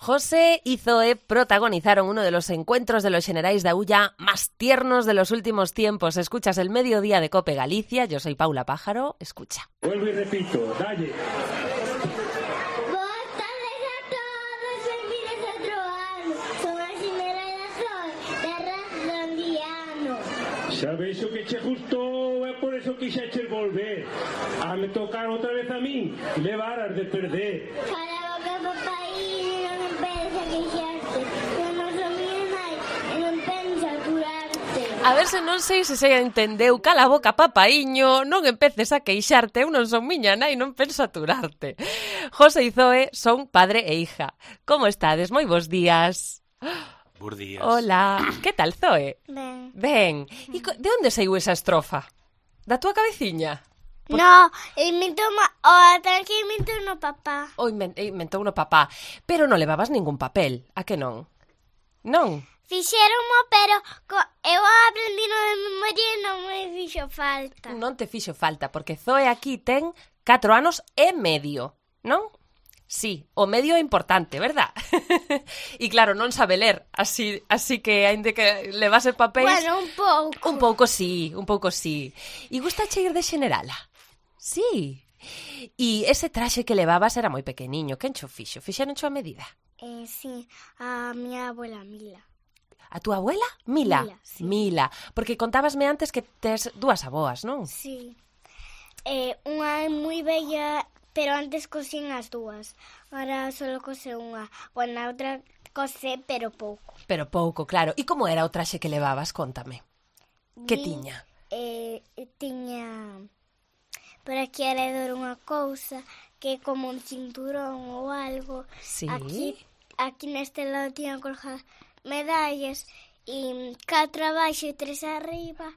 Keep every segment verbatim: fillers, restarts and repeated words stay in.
José y Zoe protagonizaron uno de los encuentros de los Xenerais da Ulla más tiernos de los últimos tiempos. Escuchas el Mediodía de COPE Galicia. Yo soy Paula Pájaro. Escucha. Vuelvo y repito, dalle. Boas tardes a todos, benvidos a outro ano. Son a Xenerai da Zoe, terra rondiano. Sabes o que che gustou, é por eso que xa che volver. A me tocar outra vez a min, levaras de perder. Para boca papaíño, non empeces a queixarte. Non nos o miña nai e non pensa curarte. A ver se non sei se se entendeu. Cala a boca, papaíño, non empeces a queixarte. Eu non son miña nai, non penso aturarte. José e Zoe son padre e hija. Como estades? Moi bons días. Bos días. Hola. Que tal, Zoe? Ben. Ben. E co- de onde saiu esa estrofa? Da túa cabeciña? No, inventou ma... o tranque inventou no papá. Ou inven- inventou no papá. Pero non levabas ningún papel, a que non? Non? Fixéronmo, pero co... eu aprendi no de memoria e non me fixo falta. Non te fixo falta, porque Zoe aquí ten catro anos e medio, non? Sí, o medio é importante, verdad? E claro, non sabe ler, así así que aínda que levase papéis... Bueno, un pouco. Un pouco sí, un pouco sí. E gusta che ir de xenerala? Sí. E ese traxe que levabas era moi pequeniño, quen cho fixo? Fixeron cho a medida? Eh, sí, a miña abuela Mila. A túa abuela? Mila. Mila, sí. Mila, porque contábasme antes que tes dúas aboas, non? Sí. Eh, unha é moi bella, pero antes cosín as dúas. Ahora só cose unha. Bueno, a outra cose, pero pouco. Pero pouco, claro. E como era o traxe que levabas? Contame. Que Mi- tiña? Eh, tiña por aquí alrededor unha cousa que é como un cinturón ou algo. Sí. Aquí, aquí neste lado tiña colgadas medallas e catro abaixo e tres arriba.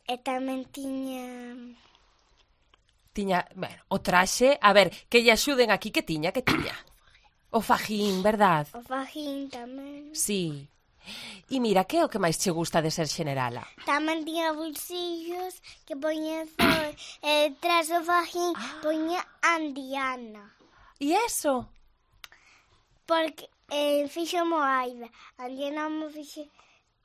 E tamén tiña... Tiña, bueno, o traxe, a ver, que lle axuden aquí, que tiña, que tiña? O fajín, verdad? o fajín tamén. Sí. E mira, que é o que máis che gusta de ser xenerala? Tamén tiña bolsillos que poña Zoe. E tras o fajín poña Andiana. E eso? Porque eh, fixo Moaida. Andiana mo fixe...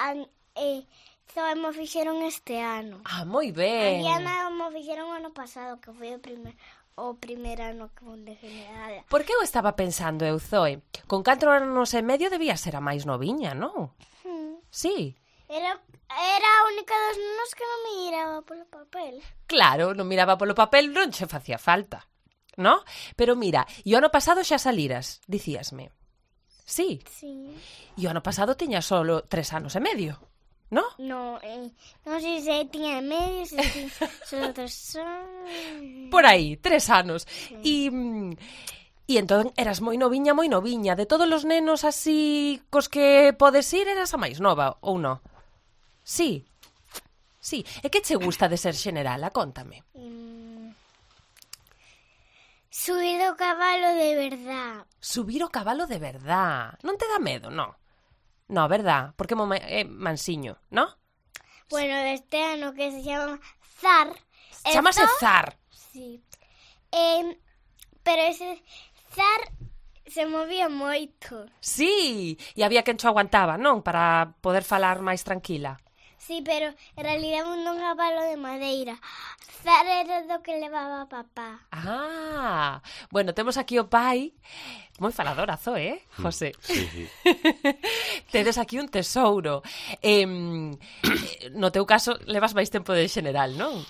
An, eh, Zoe mo fixeron este ano. Ah, moi ben. Andiana mo fixeron o ano pasado, que foi o primer, o primer ano que fun de generala. Porque eu estaba pensando, eu, Zoe, con catro anos e medio debía ser a máis noviña, non? Hmm. Sí. Era, era a única dos nenos que non me miraba polo papel. Claro, non miraba polo papel, non che facía falta, no? Pero mira, e o ano pasado xa saliras, dicíasme. Sí. Sí. E o ano pasado tiña solo tres anos e medio, no? No, eh, non sei se tiña medio, se tiña solo tres anos. Por aí, tres anos. E, mm, e entón eras moi noviña, moi noviña. De todos os nenos así cos que podes ir, eras a máis nova, ou non? Sí. Sí. E que che gusta de ser xenerala? Contame. Mm, subir do cabalo de verdad. Subir o cabalo de verdad. Non te dá medo, non? No, verdad? Porque mo é mansiño, non? Bueno, este ano que se chama Zar. Chámase Esto- Zar. Sí. Eh, pero ese Zar se movía moito. Sí. E había quen cho aguantaba, non? Para poder falar máis tranquila. Sí, pero en realidad un non cabalo de madeira. Zar era do que levaba papá. Ah, bueno, temos aquí o pai. Moi faladora, Zoe, eh, José? Sí, sí. Tedes aquí un tesouro. Eh, no teu caso, levas máis tempo de xeneral, non?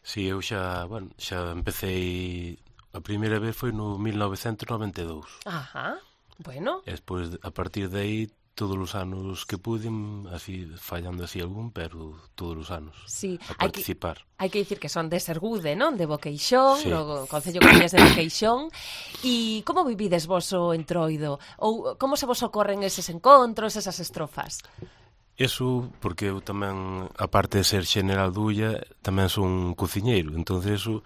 Sí, eu xa, bueno, xa empecé... A primeira vez foi no mil novecentos noventa e dous. Ajá, bueno. E despois, a partir de aí, todos os anos que pude, así, fallando así algún, pero todos os anos. Sí, a hai que, participar. hai que dicir que son de Sergude, non? De Boqueixón, Sí. no Concello Concellas de Boqueixón. E como vivides vos o entroido? Ou como se vos ocorren eses encontros, esas estrofas? Eso, porque eu tamén, aparte de ser xeneral dulla, tamén son cociñeiro, entonces eso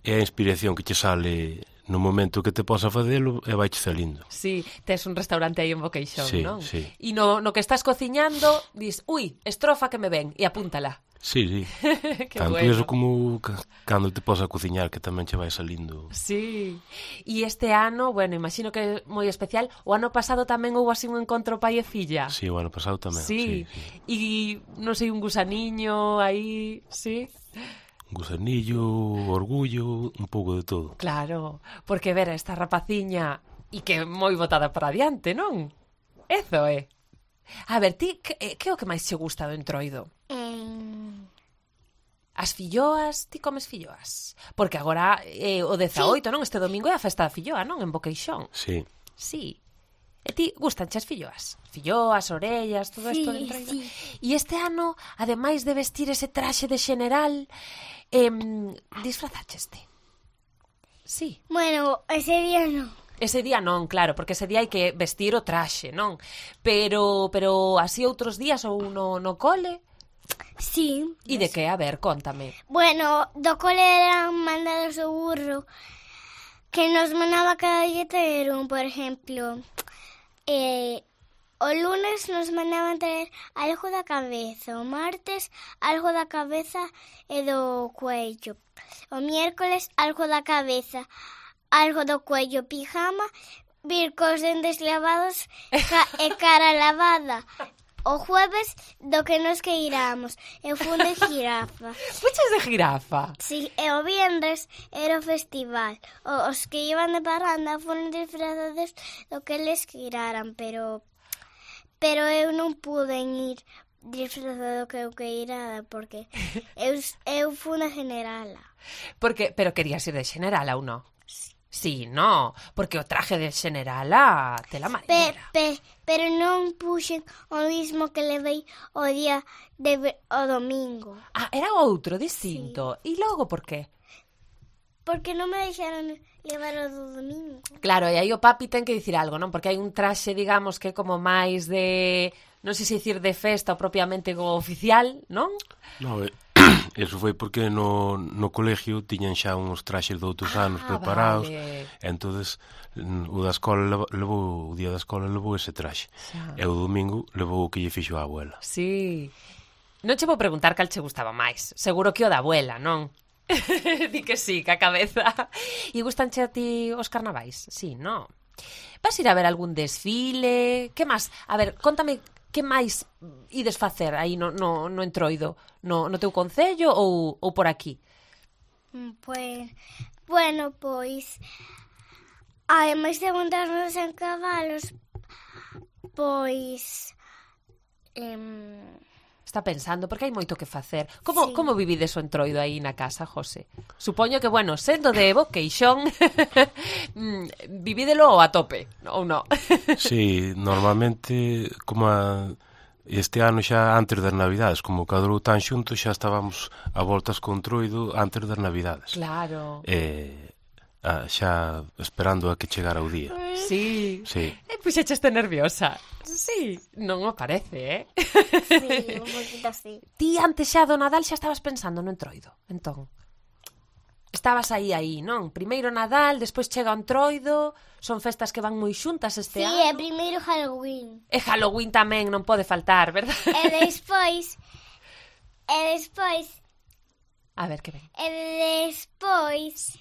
é a inspiración que che sale no momento que te posa facelo e vai salindo. Sí, tes un restaurante aí en Boqueixón, Sí, non? sí. E no, no que estás cociñando, dis, ui, estrofa que me ven, e apúntala. Sí, sí. Que Tanto bueno. eso como ca- cando te posa cociñar, que tamén che vai salindo. Sí. E este ano, bueno, imagino que é moi especial, o ano pasado tamén houve así un encontro pai e filla. Sí, o ano pasado tamén. Sí. Sí, sí. E, non sei, un gusaniño aí, sí. Un gusanillo, orgullo, un pouco de todo. Claro, porque ver a esta rapaciña e que é moi botada para adiante, non? Eso é. A ver, ti, que, que é o que máis che gusta do entroido? Em, As filloas, ti comes filloas? Porque agora é o dezaoito, non? Este domingo é a festa da filloa, non? En Boqueixón. Sí. Sí. E ti gustanche as filloas? Filloas, orellas, todo isto Sí, de entroido? sí. E este ano, ademais de vestir ese traxe de xeneral, eh, disfrazacheste? Sí. bueno, ese día no. Ese día non, claro, porque ese día hai que vestir o traxe, non? Pero pero así outros días ou no, no cole? Sí. E de que? A ver, contame. Bueno, do cole eran mandados o burro que nos mandaba cada día traer un, por ejemplo, eh, o lunes nos mandaban traer algo da cabeza, o martes algo da cabeza e do cuello, o miércoles algo da cabeza, algo do cuello, pijama, vir cos dentes lavados ca e cara lavada. O jueves do que nos que iramos, eu fun de jirafa. Fuches de jirafa? Si, e o vienres era o festival. O, os que iban de parranda foron disfrazados do que les quiraran, pero pero eu non pude ir disfrazado do que eu queirara, porque eu, eu fun a generala. Porque, pero querías ir de xeneral ou non? Sí, no, porque o traje de xenerala tela Pe, marinera. pe, pero non puxen o mismo que levei o día de ve- o domingo. Ah, era outro, distinto. E logo por qué? Porque non me deixaron levar o do domingo. Claro, e aí o papi ten que dicir algo, non? Porque hai un traxe, digamos, que é como máis de... Non sei se dicir de festa ou propiamente go oficial, non? No, eh, eso foi porque no, no colegio tiñan xa uns traxes de outros anos Ah, preparados. vale. E entonces mm, o da escola leva- levou, o día da escola levou ese traxe. Xa. E o domingo levou o que lle fixo a abuela. Sí. Non che vou preguntar cal che gustaba máis. Seguro que o da abuela, non? Di que sí, que a cabeza. E gustanche a ti os carnavais? Sí, non? Vas ir a ver algún desfile? Que máis? A ver, contame que máis ides facer aí no, no, no entroido? No, no teu concello ou, ou por aquí? Mm, Pues, bueno, pois, ademais de montarnos en cabalos, pois, em, Está pensando, porque hai moito que facer. Como, Sí. como vivides o entroido aí na casa, José? Supoño que, bueno, sendo de Boqueixón, mm, vivídelo a tope, ou non? Sí, normalmente, como a, este ano xa antes das Navidades, como cadrou tan xunto, xa estábamos a voltas con Troido antes das Navidades. Claro. E a, xa esperando a que chegara o día. Sí. Sí. E puxecheste nerviosa. Sí, non me parece, eh? sí, un poquito así. Ti antes xa do Nadal xa estabas pensando no entroido, entón. Estabas aí, aí, non? Primeiro Nadal, despois chega o entroido, son festas que van moi xuntas este Sí, ano. e primeiro Halloween. E Halloween tamén non pode faltar, verdad? E despois, e despois, A ver, que ven. e despois,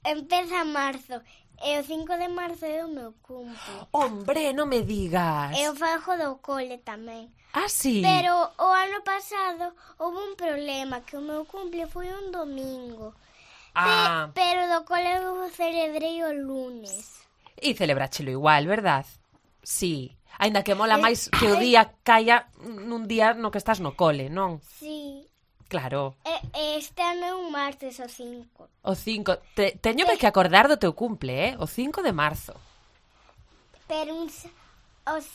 empeza marzo. E o cinco de marzo é o meu cumple. Hombre, non me digas. E o fago do cole tamén. Ah, sí? Pero o ano pasado houve un problema, que o meu cumple foi un domingo. Ah, Pe- pero do cole eu celebrei o lunes. e celebráchelo igual, verdad? Sí. Aínda que mola máis que o día caia nun día no que estás no cole, non? Sí. Claro. E, e este ano é un martes o cinco. O cinco. Te, teño que acordar do teu cumple, eh? O cinco de marzo. Pero un, sa- os,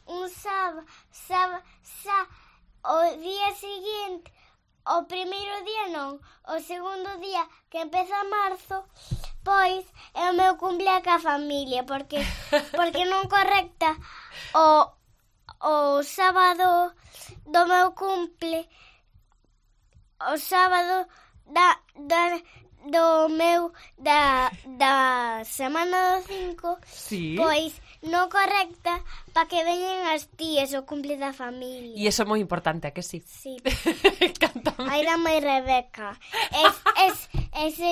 un sábado, sábado, sa, o día seguinte, o primeiro día non, o segundo día que empeza marzo, pois é o meu cumple ca familia, porque porque non correcta o, o sábado do meu cumple, o sábado da, da, do meu da, da semana do cinco, Sí. pois no correcta para que veñen as tías o cumple da E familia. iso é moi importante, a que sí? Sí. Cántame. Aí da mãe Rebeca. Es, es, ese,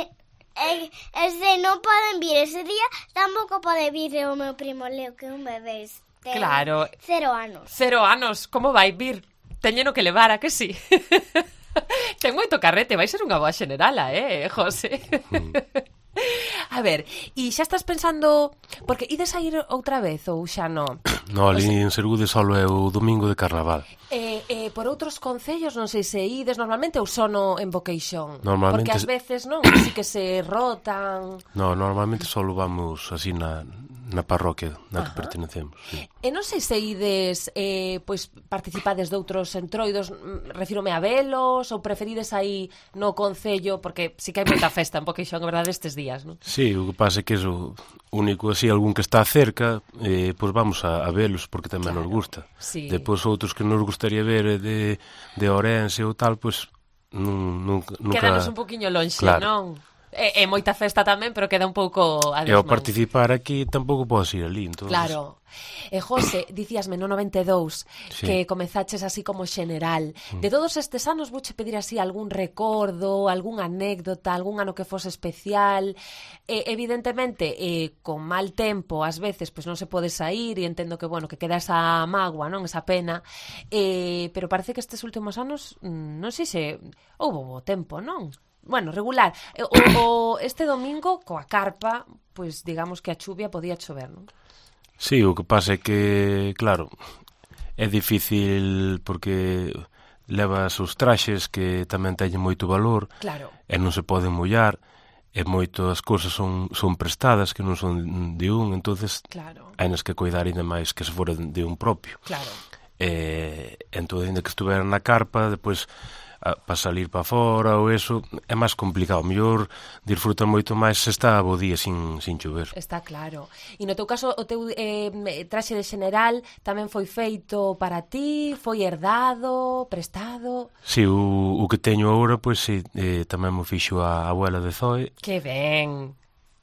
es, ese non poden vir ese día, tampouco pode vir o meu primo Leo, que é un bebé. Ten Claro. Cero anos. Cero anos, como vai vir? Teñeno que levar, a que sí? Ten moito carrete, vai ser unha boa xenerala, eh, José? Mm. A ver, e xa estás pensando... Porque ides a ir outra vez ou xa non? No, ali en Sergude solo é o domingo de Carnaval. Eh, eh, por outros concellos, non sei se ides normalmente ou só no en Boqueixón? Normalmente- Porque ás veces, non, así que se rotan... No, normalmente solo vamos así na, na parroquia na que Ajá. pertenecemos. Sí. E non sei se ides, eh, pois, participades de outros entroidos, mm, refírome a velos, ou preferides aí no concello, porque sí que hai moita festa en Boqueixón, a verdade, estes días, non? Sí, o que pasa é que eso único así, algún que está cerca, eh, pois vamos a, a velos porque tamén Claro, nos gusta. sí. Depois outros que nos gustaría ver de, de Ourense ou tal, pois nun, nunca, nunca... Quedanos un poquinho lonxe, Claro. non? É, é moita festa tamén, pero queda un pouco a E ao desmán. participar aquí tampouco podes ir ali, entón... Claro. E José, dicíasme no noventa e dous Sí. que comezaches así como xeneral. De todos estes anos vouche pedir así algún recordo, algunha anécdota, algún ano que fose especial. E, evidentemente, eh, con mal tempo, ás veces, pois non se pode sair e entendo que, bueno, que queda esa mágoa, non? Esa pena. Eh, pero parece que estes últimos anos, mm, non sei se houbo bo tempo, non? Bueno, regular. E, O, o este domingo, coa carpa, pois digamos que a chuvia podía chover, non? Sí, o que pasa é que, claro, é difícil porque levas os traxes que tamén teñen moito valor Claro. e non se poden mollar e moitas cousas son, son prestadas que non son de un, entonces Claro. hainas que cuidar ainda máis que se fora de un propio. Claro. E entón, ainda que estuveran na carpa, depois para salir para fora ou eso, é máis complicado. Mellor disfruta moito máis se está a bo día sin, sin chover. Está claro. E no teu caso, o teu eh, traxe de xeneral tamén foi feito para ti? Foi herdado? Prestado? Si, o, o que teño agora, pois si, eh, tamén mo fixo a abuela de Zoe. Que ben!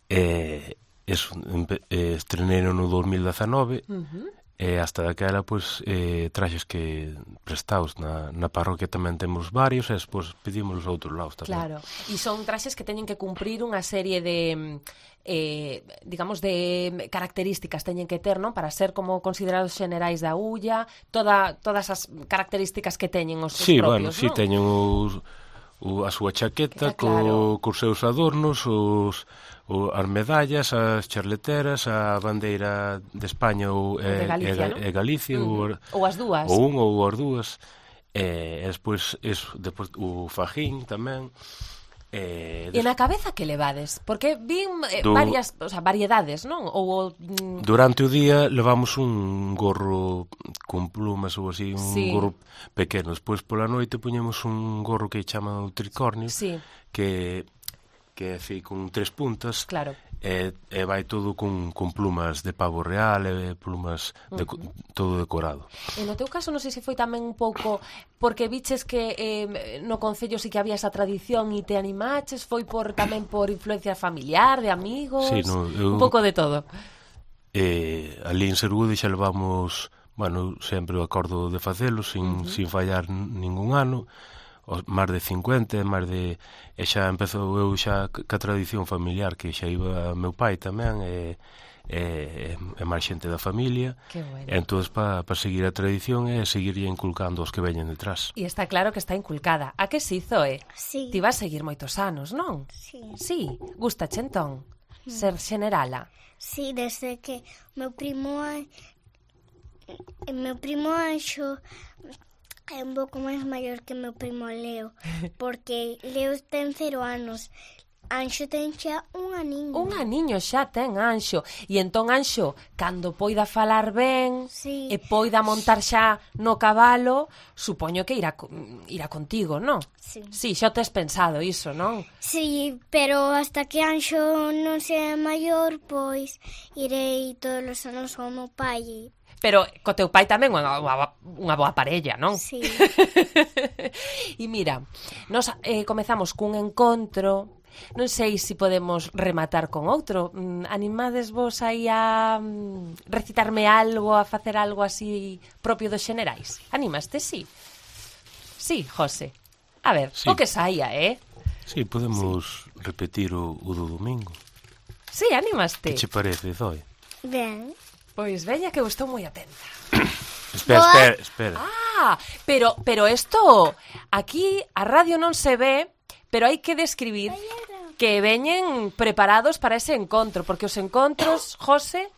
E eso, empe- eh, estreneiro no dos mil dezenove. Uh-huh. E hasta daquela, pois, eh, traxes que prestados na, na parroquia tamén temos varios, e despois pedimos os outros lados tamén. Claro. E son traxes que teñen que cumprir unha serie de... Eh, digamos, de características teñen que ter, non? Para ser como considerados xenerais da ulla, toda, todas as características que teñen os, Sí, os bueno, propios, sí, non? teñen os, o, a súa chaqueta Está claro. co, cos seus adornos, os, o, as medallas, as charleteras, a bandeira de España ou de e, Galicia, e, non? e Galicia, Uh-huh. ou, Ou as dúas. ou un ou as dúas, e, e despois, eso, despois o fajín tamén. E, E na cabeza que levades? Porque vin eh, Do- varias, o sea, variedades, non? Ou mm, Durante o día levamos un gorro con plumas ou así, un Sí. gorro pequeno. Despois pola noite poñemos un gorro que chaman o tricornio, sí, que que é así con tres puntas, claro. e, e vai todo con, con plumas de pavo real e plumas de, uh -huh. todo decorado. E no teu caso non sei se foi tamén un pouco porque viches que eh, no concello sí que había esa tradición e te animaches, foi por tamén por influencia familiar, de amigos, Sí, no, eu- un pouco de todo. E ali en Sergude xa levamos, bueno, sempre o acordo de facelo sin, uh -huh. sin fallar ningún ano, os máis de cincuenta, máis de e xa empezou eu xa ca tradición familiar que xa iba meu pai tamén e e, e máis xente da familia. Que bueno. E entón para pa seguir a tradición e seguir inculcando os que veñen detrás. E está claro que está inculcada. A que si, Zoe? Sí. Ti vas seguir moitos anos, non? Sí. Sí, gustache entón ser xenerala. Sí, desde que meu primo An- meu primo Anxo é un pouco máis maior que meu primo Leo, porque Leo ten cero anos, Anxo ten xa un aniño. Un aniño xa ten Anxo. E entón Anxo, cando poida falar ben Sí. e poida montar xa no cabalo, supoño que irá, co- irá contigo, non? Sí. Sí, xa o tes pensado iso, non? Sí, pero hasta que Anxo non sea maior, pois irei todos os anos ao meu pai. Pero co teu pai tamén unha, unha, unha boa parella, non? Sí. E mira, nos eh, comezamos cun encontro non sei se podemos rematar con outro. Mm, animades vos aí a mm, recitarme algo, a facer algo así propio dos xenerais? Animaste, sí? Sí, José. A ver, Sí. o que saia, eh? Sí, podemos sí. repetir o, o do domingo. Sí, animaste. Que che parece, Zoe? Ben. Pois veña que eu estou moi atenta. Espera, Boa. espera, espera. Ah, pero pero esto aquí a radio non se ve, pero hai que describir que veñen preparados para ese encontro, porque os encontros, José,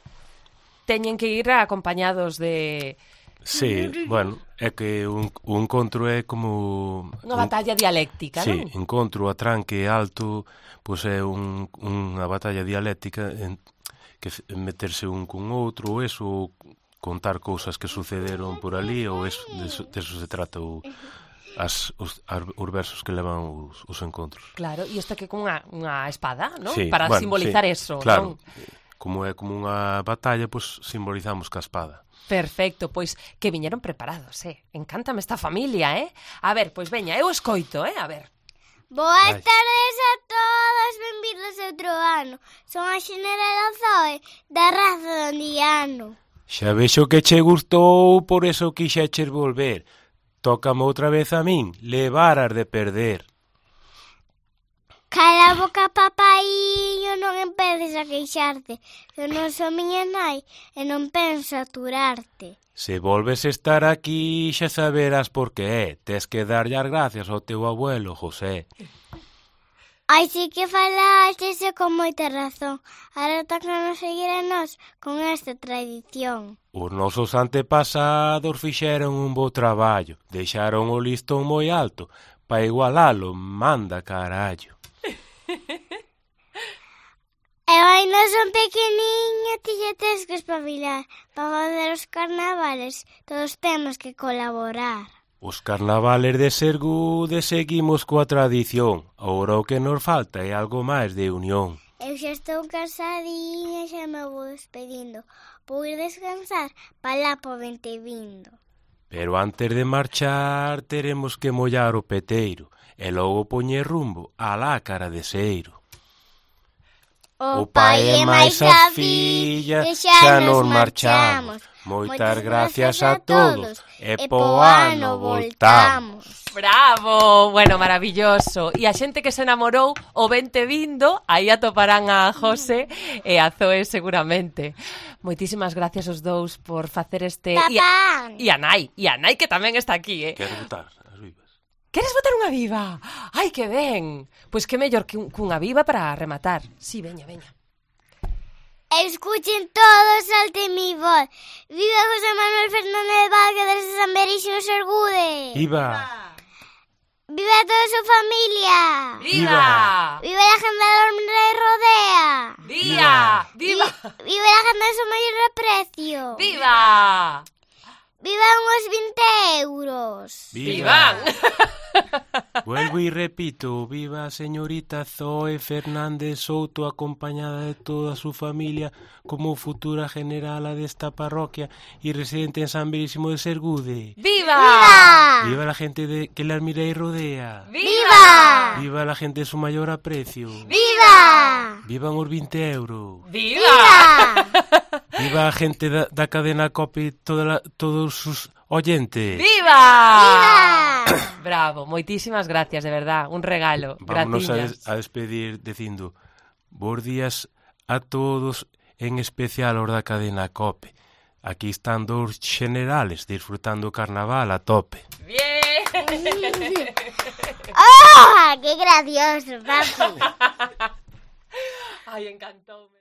teñen que ir acompañados de Sí, bueno, é que un, un encontro é como... unha un, batalla dialéctica, sí, non? encontro, atranque alto, pois é un, unha batalla dialéctica en, que meterse un con outro, ou eso, contar cousas que sucederon por ali, ou eso, de, eso, de eso se trata o, as, os, os versos que levan os, os encontros. Claro, e isto que con unha, unha espada, non? Sí, Para bueno, simbolizar sí, eso, claro. non? Como é como unha batalla, pois simbolizamos ca espada. Perfecto, pois que viñeron preparados, eh? Encántame esta familia, eh? A ver, pois veña, eu escoito, eh? A ver. Boas Vai. tardes a todos, benvidos a outro ano. Son a Xenerala Zoe, da raza do Andiano. Xa vexo que che gustou, por eso quixeches volver. Tócame outra vez a min, levaras de perder. Cala a boca, papaiño, non empeces a queixarte, que eu non sou miña nai e non penso aturarte. Se volves estar aquí, xa saberás por que é. Tes que darlle as gracias ao teu abuelo, José. Ai, si que falaste con moita razón. Ahora toca nos seguir a nós con esta tradición. Os nosos antepasados fixeron un bo traballo. Deixaron o listón moi alto. Pa igualalo, manda carallo. Eu ainda son pequeniño, ti xa tes que espabilar. Para fazer os carnavales, todos temos que colaborar. Os carnavales de Sergude seguimos coa tradición. Agora o que nos falta é algo máis de unión. Eu xa estou cansadinha, xa me vou despedindo. Vou ir descansar para lá po vente vindo. Pero antes de marchar teremos que mollar o peteiro e logo poñer rumbo á lácara de Seiro. O pai e máis a filla, xa nos marchamos. Moitas gracias a todos e po ano voltamos. Bravo, bueno, maravilloso. E a xente que se enamorou o vente vindo, aí atoparán a José e a Zoe seguramente. Moitísimas gracias os dous por facer este... Papá! E a Nai, e a Nai que tamén está aquí, eh? Quero botar as vivas. Queres botar unha viva? Ai, que ben. Pois que mellor que un, cunha viva para rematar. Sí, veña, veña. Escuchen todos alte mi voz. Viva José Manuel Fernández Vázquez de San Berixo Sergude. Viva! Viva toda su familia. Viva! Viva la gente de Rey Rodea. Viva! Viva! Vi- Viva la gente de su mayor aprecio. Viva! Vivan os vinte euros. Vivan! Vuelvo y repito, viva a señorita Zoe Fernández Souto acompañada de toda su familia como futura generala de esta parroquia y residente en San Berísimo de Sergude. Viva! Viva. Viva la gente de, que la admira y rodea. Viva. Viva la gente de su mayor aprecio. Viva. Vivan os vinte euros. Viva! Viva. Viva a gente da, da cadena COPE, toda la, todos sus oyentes. Viva! Viva. Bravo, moitísimas gracias, de verdad, un regalo. Vámonos a, Gratiñas. des, a despedir dicindo bos días a todos, en especial os da cadena COPE. Aquí están dos generales disfrutando o carnaval a tope. Bien! ¡Oh! ¡Qué gracioso, papi! Ai, encantoume.